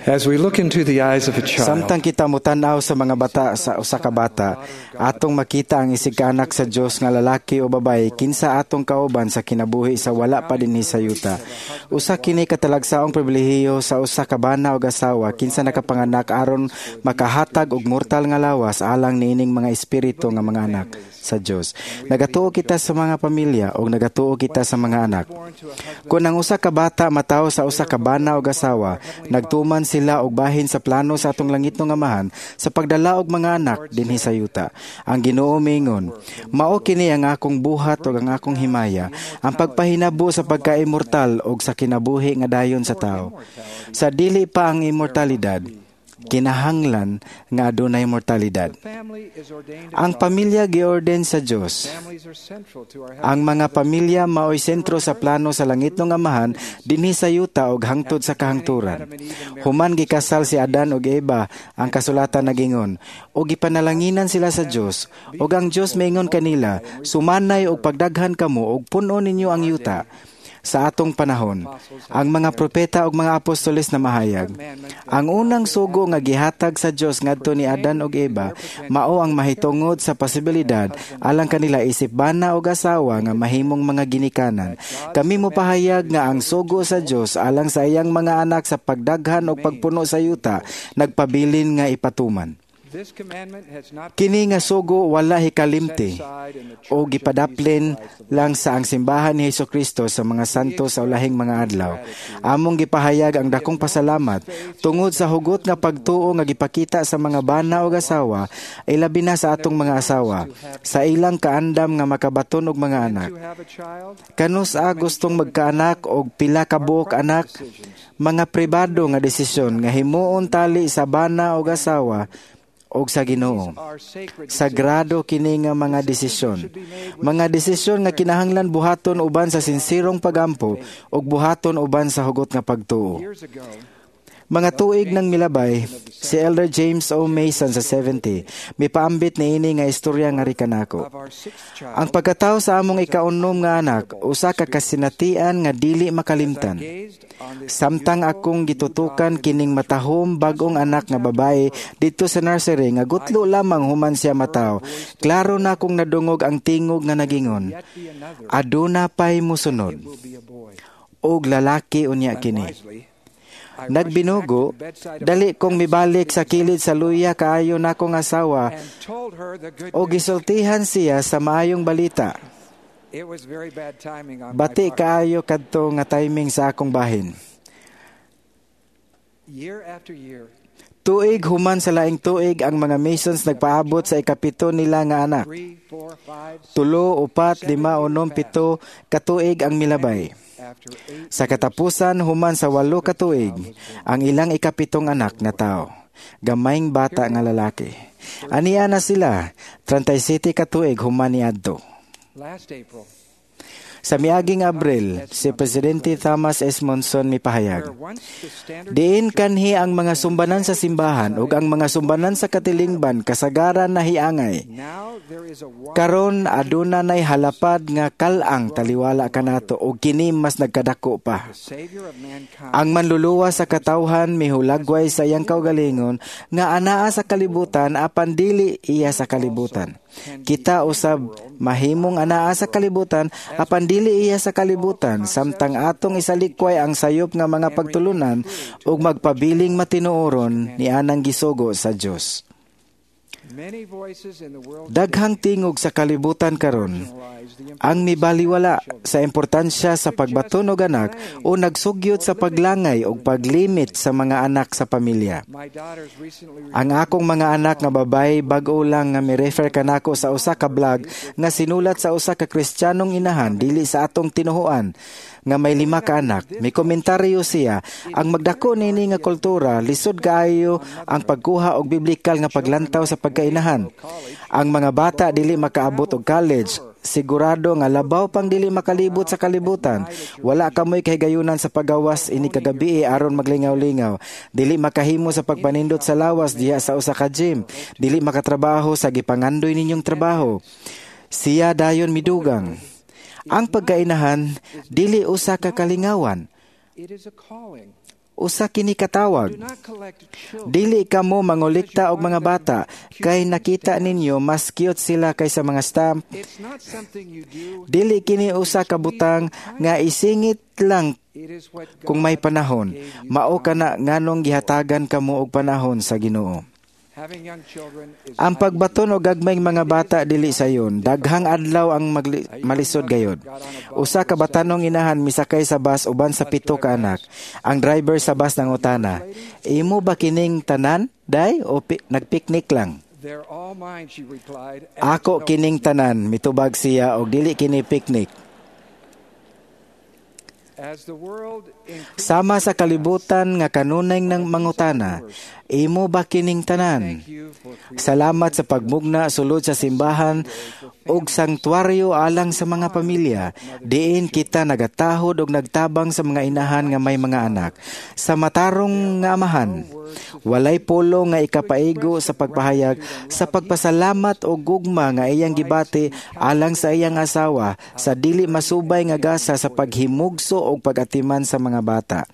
As we look into the eyes of a child, Samtang kita motan-aw sa mga bata sa usa ka bata, atong makita ang isig kaanak sa Dios nga lalaki o babaye kinsa atong kauban sa kinabuhi sa wala pa dinhi sa yuta. Usa kini katalagsaong pribilehiyo sa usa ka bana og asawa kinsa nakapanganak aron makahatag og mortal nga lawas alang niining mga espiritu nga mga anak sa Dios. Nagatuo kita sa mga pamilya og nagatuo kita sa mga anak. Kung ang usa ka bata matawo sa usa ka bana og asawa, nagtuman sila og bahin sa plano sa atong langitnong Amahan sa pagdala og mga anak dinhi sa yuta. Ang Ginoo miingon, "Mao kini ang akong buhat ug ang akong himaya, ang pagpahinabo sa pagka-immortal ug sa kinabuhi nga dayon sa tao." Sa dili pa ang immortalidad, kinahanglan nga adunay mortalidad. Family is ordained of Ang God. Pamilya giorden sa Dios. Families are central to our Ang mga pamilya maoy sentro sa plano sa langitnong Amahan dinhi sa yuta ug hangtod sa kahangturan. Human gikasal si Adan ug Eva, ang kasulatan nagingon, ug gipanalanginan sila sa Dios, ug ang Dios maingon kanila, "Sumanay og pagdaghan kamo ug puno ninyo ang yuta." Sa atong panahon, ang mga propeta ug mga apostoles na mahayag. Ang unang sugo nga gihatag sa Dios ngadto ni Adan ug Eva mao ang mahitungod sa posibilidad alang kanila isip bana ug asawa nga mahimong mga ginikanan. Kami mopahayag nga ang sugo sa Dios alang sa iyang mga anak sa pagdaghan ug pagpuno sa yuta nagpabilin nga ipatuman. This commandment has not Kini nga sugo wala hikalimti set aside in the o Church of Jesus gipadaplin Christ of lang sa ang simbahan ni Hesus Kristo sa mga santo sa ulahing mga adlaw. Among gipahayag ang dakong pasalamat tungod sa hugot nga pagtuo nga gipakita sa mga bana ug asawa, ilabi na sa atong mga asawa, sa ilang kaandam nga makabaton og mga anak. To have a child, Kanus-a gustong magkaanak og pila ka buok anak, mga pribado nga desisyon nga himuon tali sa bana og asawa og sa Ginoo. Are sacred. Sagrado kini nga mga desisyon. Mga desisyon nga kinahanglan buhaton uban sa sinsirong pagampo ug buhaton uban sa hugot nga pagtuo. Years ago, Mga tuig nang milabay, si Elder James O. Mason sa 70, mipaambit niini nga istorya nga rikanako. Of our sixth child, Ang pagkatawo sa among ikaunom nga anak, usa ka kasinatian nga dili makalimtan. Gazed on this Samtang akong gitutukan kining matahom bagong anak nga babae didto sa nursery nga gutlo lamang human siya mataw, klaro na akong nadungog ang tingog nga nagingon, yet be another, "Aduna pay musunod, will be a boy. Og lalaki unya kini." Wisely, I rushed Nagbinugo, back to the bedside of dali kong mibalik sa kilid sa luya kaayo nakong asawa and told her the good o news. gisultihan siya sa maayong balita. It was very bad timing on my Bati part. kaayo kadto nga timing sa akong bahin. Year after year, Tuig human sa laing tuig, ang mga Masons nagpaabot sa ikapito nila nga anak. 3, 4, 5, 3, 4, 5, 6, 7 katuig ang milabay. After 8 Sa katapusan, human sa 8 ka tuig, ang ilang ikapitong anak natawo. Gamayng bata nga lalaki. Ania na sila, 37 ka tuig human niadto. Last April, Sa miaging Abril, si Presidente Thomas S. Monson mipahayag, where once the standard Diin kanhi ang mga sumbanan sa simbahan ug ang mga sumbanan sa katilingban kasagaran na hiangay. Now there is a wide Karon aduna nay halapad nga kal-ang taliwala kanato ug kini mas nagkadako pa. The Savior of mankind Ang manluluwas sa katawhan mihulagway sa iyang kaugalingon nga anaa sa kalibutan apan dili iya sa kalibutan. Kita usab mahimong anaa sa kalibutan apan dili iya sa kalibutan samtang atong isalikway ang sayop nga mga pagtulunan ug magpabiling matinuoron ni anang gisugo sa Dios. Many voices in the world Daghang tingog sa kalibutan karon realize the ang mibaliwala sa importansya sa pagbaton og anak o nagsugyot sa paglangay o paglimit sa mga anak sa pamilya. My daughters recently Ang akong mga anak nga babae bag-o lang nga mi-refer kanako sa usa ka blog nga sinulat sa usa ka Kristiyanong inahan dili sa atong tinuhuan nga may lima ka anak. May komentaryo siya, ang magdako niini nga kultura, lisod kaayo ang pagkuha og biblikal nga paglantaw sa pagkainahan. Ang mga bata dili makaabot og college, sigurado nga labaw pang dili makalibot sa kalibutan. Wala kamoy kahigayunan sa pagawas ini kagabi aron maglingaw-lingaw. Dili makahimo sa pagpanindot sa lawas diha sa usa ka gym. Dili makatrabaho sa gipangandoy ninyong trabaho. Siya dayon midugang, ang pagkainahan dili usa ka kalingawan. It is a calling. Usa kini katawag. Do not collect children. Dili kamo mangolekta og mga bata kay nakita ninyo mas cute sila kaysa mga stamp. It's not something you do. Dili kini usa ka butang nga isingit lang It is what God kung may panahon. gave you Mao time. kana nganong gihatagan kamo og panahon sa Ginoo. Having young children is Ang not pagbaton og gagmayng mga bata dili sayon. Daghang adlaw ang malisod gayod. Usa ka batanong inahan misakay sa bus uban sa 7 ka anak. Ang driver sa bus nangutana, "Imo ba kining tanan, day, o nagpiknik lang?" They're all mine, she replied. "And "Ako there's no kining tanan," mitubag siya, "og dili kini piknik." As the world increases Sama sa kalibutan nga kanunay ng mangutana, "Imo ba kining tanan?" Thank you for creating Salamat sa pagmugna sulod sa simbahan ug sangtuaryo alang sa mga pamilya. Diin kita nagatahod og nagtabang sa mga inahan nga may mga anak. Sa matarong nga amahan, walay pulong nga ikapaigo sa pagpahayag sa pagpasalamat og gugma nga iyang gibati alang sa iyang asawa sa dili masubay nga gasa sa paghimugso og pag-atiman sa mga bata.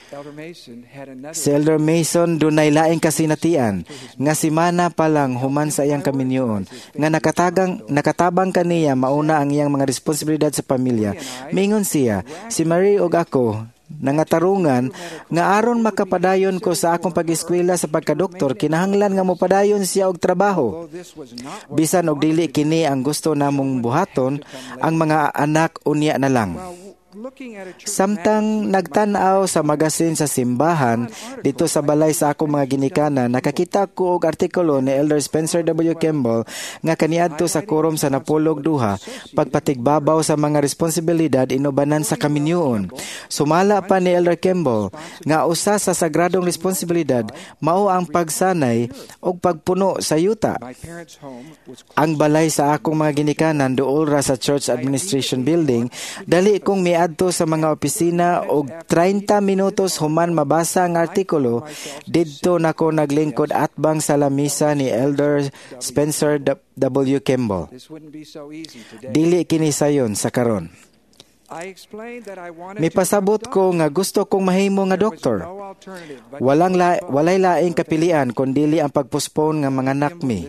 Elder Mason had another Si Elder Mason dunay laing kasinatian nga simana pa lang human sa iyang kaminyoon nga nakatabang kaniya mauna ang iyang mga responsibilidad sa pamilya. Mingon siya, "Si Marie ug ako nangatarungan nga aron makapadayon ko sa akong pag-eskwela sa pagkadoktor, kinahanglan nga mopadayon siya og trabaho. Although this was not what Bisan og dili kini ang gusto namong buhaton, ang mga anak unya na lang." While looking at a church Samtang nagtan-aw sa magasin sa simbahan dito sa balay sa akong mga ginikanan, nakakita ko og artikulo ni Elder Spencer W. Kimball nga kaniadto sa quorum sa napulog duha, pagpatigbabaw sa mga responsibilidad inubanan sa kaminyoon. Sumala pa ni Elder Kimball nga usa sa sagradong responsibilidad mao ang pagsanay og pagpuno sa yuta. My parents' home was close. Ang balay sa akong mga ginikanan duol ra sa Church Administration Building. Dali kong miadto sa mga opisina og 30 minutos human mabasa ang artikulo, didto nako naglingkod atbang sa lamisa ni Elder Spencer W. Kimball. This wouldn't be so easy today. Dili kini sayon sa karon. I explained that I wanted to Mipasabot become a ko nga gusto kong mahimo nga doctor. doktor. There was no alternative but Walang to la, postpone walay laing birth. kapilian kundili ang pagpostpone nga mga anak mi.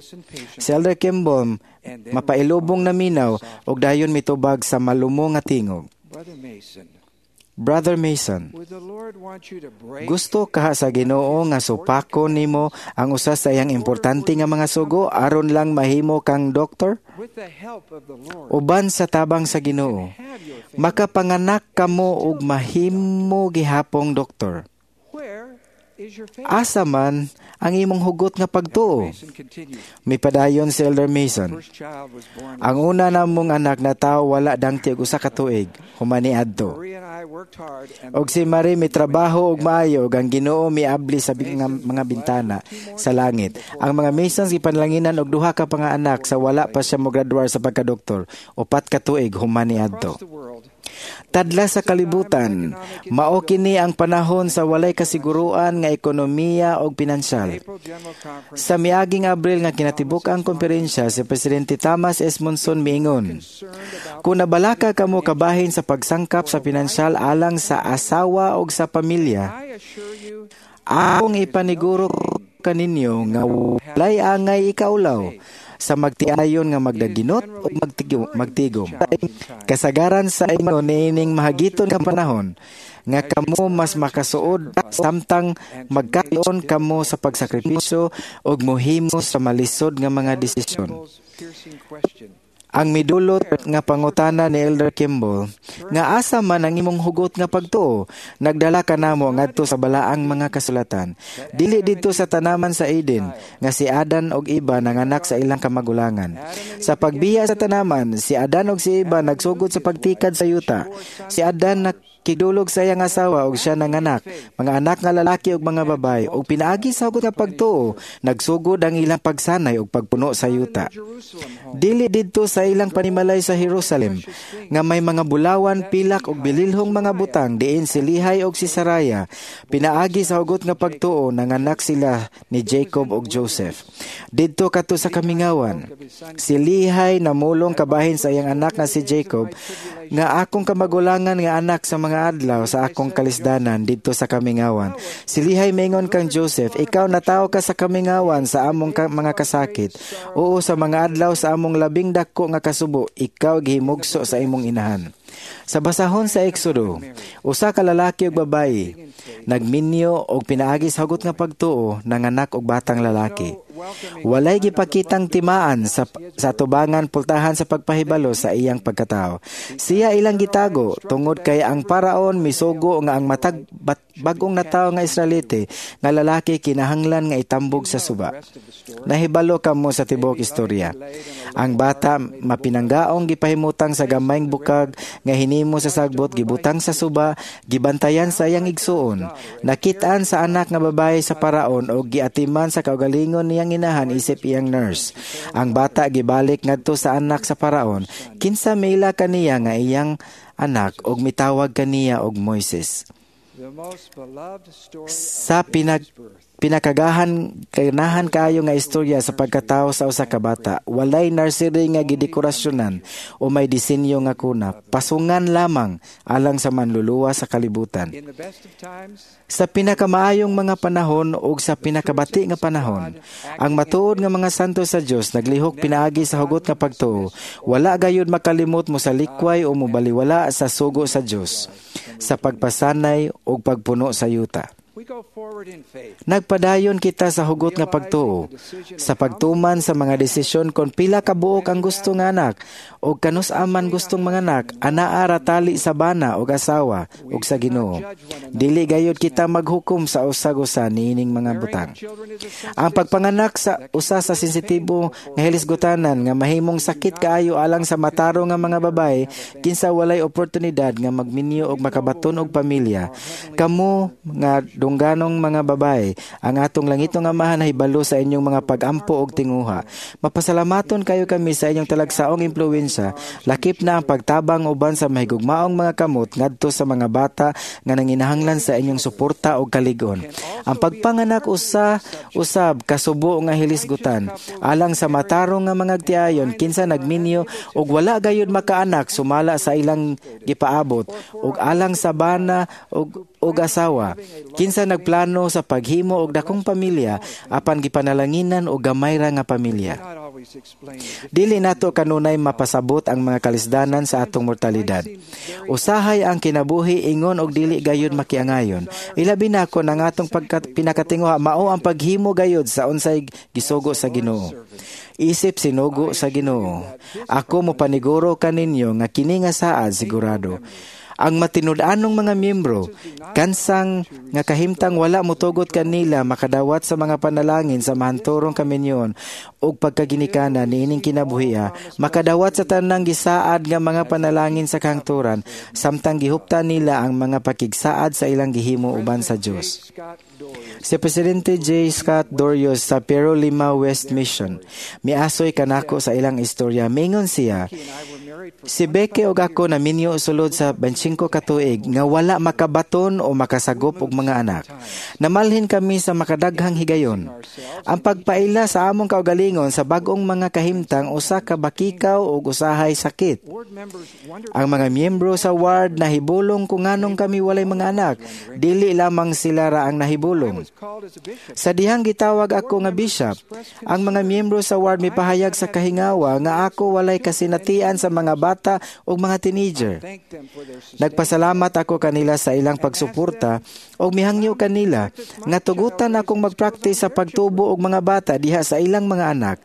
Si Elder Kimball mapailubong na minaw og dayon mitubag sa malumo nga tingog. Brother Mason, "Brother Mason, would the Lord want you to break gusto kaha sa Ginoo nga supako nimo ang usa sa iyang importante nga mga sugo aron lang mahimo kang doktor? With the help of the Lord, Uban sa tabang sa Ginoo, have your family. makapanganak kamo og mahimo gihapong doktor. Where is your faith?" Asa man ang imong hugot nga pagtuo?" Mason continued. Mipadayon si Elder Mason. First child was born. "Ang una namong anak na tao wala dangti og 1 ka tuig human niadto. Marie and I worked hard and Og si Marie mitrabaho og maayo ug ang Ginoo miabli sa mga bintana sa langit. Ang mga Masons gipanlanginan og duha ka pangaanak sa wala pa siya mograduar sa pagkadoktor, 4 ka tuig human niadto." Across the world, Tadla sa kalibutan, mao kini ang panahon sa walay kasiguruan nga ekonomiya og pinansyal. April General Conference Sa miaging Abril nga kinatibuk-ang konferensya, si Presidente Thomas S. Monson miingon, concerned about "Kung nabalaka kamo kabahin sa pagsangkap sa pinansyal alang sa asawa og sa pamilya, I assure you akong ipaniguro kaninyo nga walay angay ikaulaw sa magtiayon nga magdaginot o magtigom. Kasagaran sa inyo niining mahagiton nga panahon nga kamo mas makasuod samtang magkaon kamo sa pagsakripisyo ug mohimo sa malisod nga mga desisyon." Kimball's piercing question. Ang midulot nga pangutana ni Elder Kimball nga asa man ang imong hugot nga pagtuo, nagdala kanamo ngadto sa balaang mga kasulatan. Dili didto sa tanaman sa Eden nga si Adan og Eva nanganak sa ilang kamagulangan. Sa pagbiya sa tanaman, si Adan og si Eva nagsugod sa pagtikad sa yuta. Si Adan nakigdulog sa iyang asawa ug siya nanganak, mga anak nga lalaki ug mga babaye, ug pinaagi sa hugot nga pagtuo, nagsugod ang ilang pagsanay ug pagpuno sa yuta. Jerusalem home. Dili didto sa ilang panimalay sa Jerusalem nga may mga bulawan, pilak ug bililhong mga butang diin si Lihay ug si Saraya pinaagi sa hugot nga pagtuo nanganak sila ni Jacob ug Joseph. Didto kato sa kamingawan, si Lihay namulong kabahin sa iyang anak nga si Jacob nga akong kamagulangan nga anak sa mga mga adlaw sa akong kalisdanan didto sa kamingawan. Silihay mingon kang Joseph, ikaw natawo ka sa kamingawan sa among mga kasakit. Oo, sa mga adlaw sa among labing dako nga kasubo, ikaw gihimugso sa imong inahan. Sa basahon sa Exodo, usa ka lalaki ug babayi nagminyo og pinaagi sa hugot nga pagtuo nanganak og batang lalaki. Walay gipakitang timaan sa tubangan pultahan sa pagpahibalo sa iyang pagkatao. Siya ilang gitago tungod kay ang paraon misugo nga ang matag bag-ong natawo nga Israelite nga lalaki kinahanglan nga itambog sa suba. Nahibalo kamo sa tibuok istorya. Ang bata mapinanggaong gipahimutang sa gamayng bukag nga hinimo sa sagbot, gibutang sa suba, gibantayan sa iyang igsuon. Nakit-an sa anak nga babae sa paraon og giatiman sa kaugalingon niyang inahan isip iyang nurse. Ang bata gibalik ngadto sa anak sa paraon. Kinsa miila kaniya nga iyang anak og mitawag kaniya og Moises. The most beloved story Sa of baby's birth. Pinakagahan kanahan kaayo nga istorya sa pagkatao sa usa ka bata, walay nursery nga gidekorasyonan o may disenyo nga kuna, pasungan lamang alang sa manluluwa sa kalibutan. In the best of times, Sa pinakamaayong mga panahon ug sa pinakabati nga panahon, ang matuod nga mga santo sa Dios naglihok pinaagi sa hugot nga pagtuo, wala gayud makalimot mo sa likway o mobaliwala sa sugo sa Dios sa pagpasanay ug pagpuno sa yuta. We go forward in faith. Nagpadayon kita sa hugot nga pagtuo, sa pagtuman sa mga desisyon kon pila ka buok ang gusto nga anak o kanus-a man gustong mga anak, anaa ra tali sa bana og asawa ug sa Ginoo. Dili gayud kita maghukom sa usag-usa niining mga Bearing butang. of children is a Ang sensitive pagpanganak sa usa sa sensitibo nga hilisgutanan nga mahimong sakit kaayo alang sa matarong nga mga babae kinsa walay oportunidad nga magminyo og makabaton og pamilya. Kamo nga dungganong mga babae, ang atong langitong Amahan nahibalo sa inyong mga pag-ampo og tinguha. Mapasalamaton kayo kami sa inyong talagsaong impluwensya, lakip na ang pagtabang uban sa mahigugmaong mga kamot ngadto sa mga bata nga nanginahanglan sa inyong suporta og kalig-on. Ang pagpanganak usa usab kasubo nga hilisgutan alang sa matarong nga mga tiayon kinsa nagminyo og wala gayud makaanak sumala sa ilang gipaabot, ug alang sa bana ug asawa kinsa nagplano sa paghimo og dakong pamilya apan gipanalanginan og gamay ra nga pamilya. Not always explain the Dili nato kanunay mapasabot ang mga kalisdanan sa atong mortalidad. Usahay ang kinabuhi ingon og dili gayud makiangayon. Ilabi na kon ang atong pinakatinguha mao ang paghimo gayud sa unsay gisugo sa Ginoo. Isip sinugo sa Ginoo, ako mopaniguro kaninyo nga kini nga saad sigurado. Ang matinud-anong mga miyembro, kansang nga kahimtang wala motugot kanila makadawat sa mga panalangin sa mahanturong kaminyon ug pagkaginikanan niining kinabuhia, makadawat sa tanang gisaad nga mga panalangin sa kahangturan, samtang gihuptan nila ang mga pakigsaad sa ilang gihimo uban sa Dios. Scott Dorius Si Presidente J. Scott Dorius sa Pero Lima West Mission, miasoy kanako sa ilang istorya. Mingon siya, and I were married for si Becky og ako naminyo sulod sa 25 ka tuig nga wala makabaton o makasagop og mga anak. Namalhin kami sa makadaghang higayon. Ang pagpaila sa among kaugalingon sa bag-ong mga kahimtang usa ka bakikaw ug usahay sakit. Ward members wondered Ang mga miyembro sa ward nahibulong kung nganong kami walay mga anak. Dili lamang sila ra ang nahibulong. was called as a bishop. Sa dihang gitawag ako nga bishop, ang mga miyembro sa ward mipahayag sa kahingawa nga ako walay kasinatian sa mga bata ug mga teenager. Thank them for their sustained Nagpasalamat ako kanila sa ilang pagsuporta ug mihangyo kanila nga tugutan akong magpraktis sa pagtubo og mga bata diha sa ilang mga anak.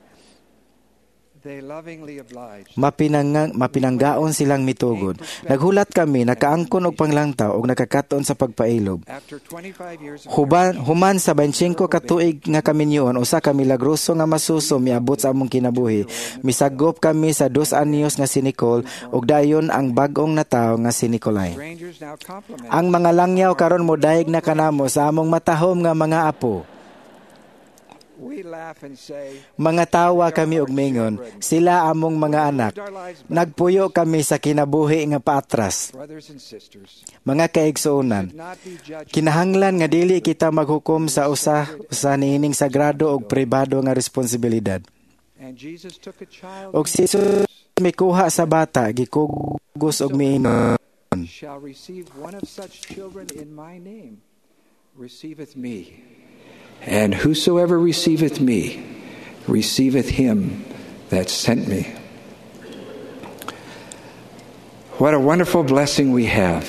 They lovingly obliged. Mapinanggaon silang mitugod. Naghulat kami, nakaangkon og panglangtaw ug nakakaton sa pagpailob. After 25 years of Human sa 25 ka tuig nga kaminyoon, usa ka milagroso nga masuso miabot sa among kinabuhi. Misagop kami sa 2 anyos nga si Nicole ug dayon ang bag-ong natawo nga si Nicolay. Strangers now compliment Ang mga langyaw karon modayeg na kanamo sa among matahom nga mga apo. We laugh and say, Mga tawa kami og mingon, sila among mga anak. our lives back, Nagpuyo kami sa kinabuhi nga paatras. Brothers and sisters, Mga kaigsuonan, not be judged kinahanglan nga dili kita maghukom sa usa usa niining sagrado og pribado nga responsibilidad. And Jesus took a child Og si Jesus mikuha sa bata, gikugos og miingon, Shall receive one of such children in my name receiveth me. And whosoever receiveth me receiveth him that sent me. What a wonderful blessing we have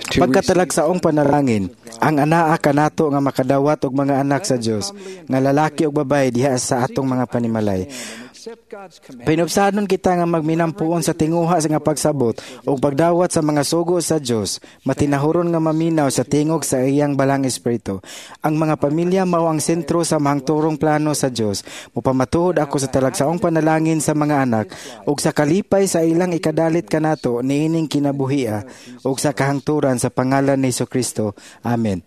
to receive Pagkatalagsaong panalangin, ang anaa kanato nga makadawat og mga anak sa Dios, nga lalaki ug babaye diha sa atong mga panimalay. and accept God's command. Pinubsanon kita nga magminampuon sa tinguha sa nga pagsabot ug pagdawat sa mga sugo sa Dios, matinahuron nga maminaw sa tingog sa iyang balang espiritu. Ang mga pamilya mao ang sentro sa mahangturong plano sa Dios. Mupamatuod ako sa talagsaong panalangin sa mga anak ug sa kalipay sa ilang ikadalit kanato niining kinabuhia ug sa kahangturan sa pangalan ni Kristo. Amen.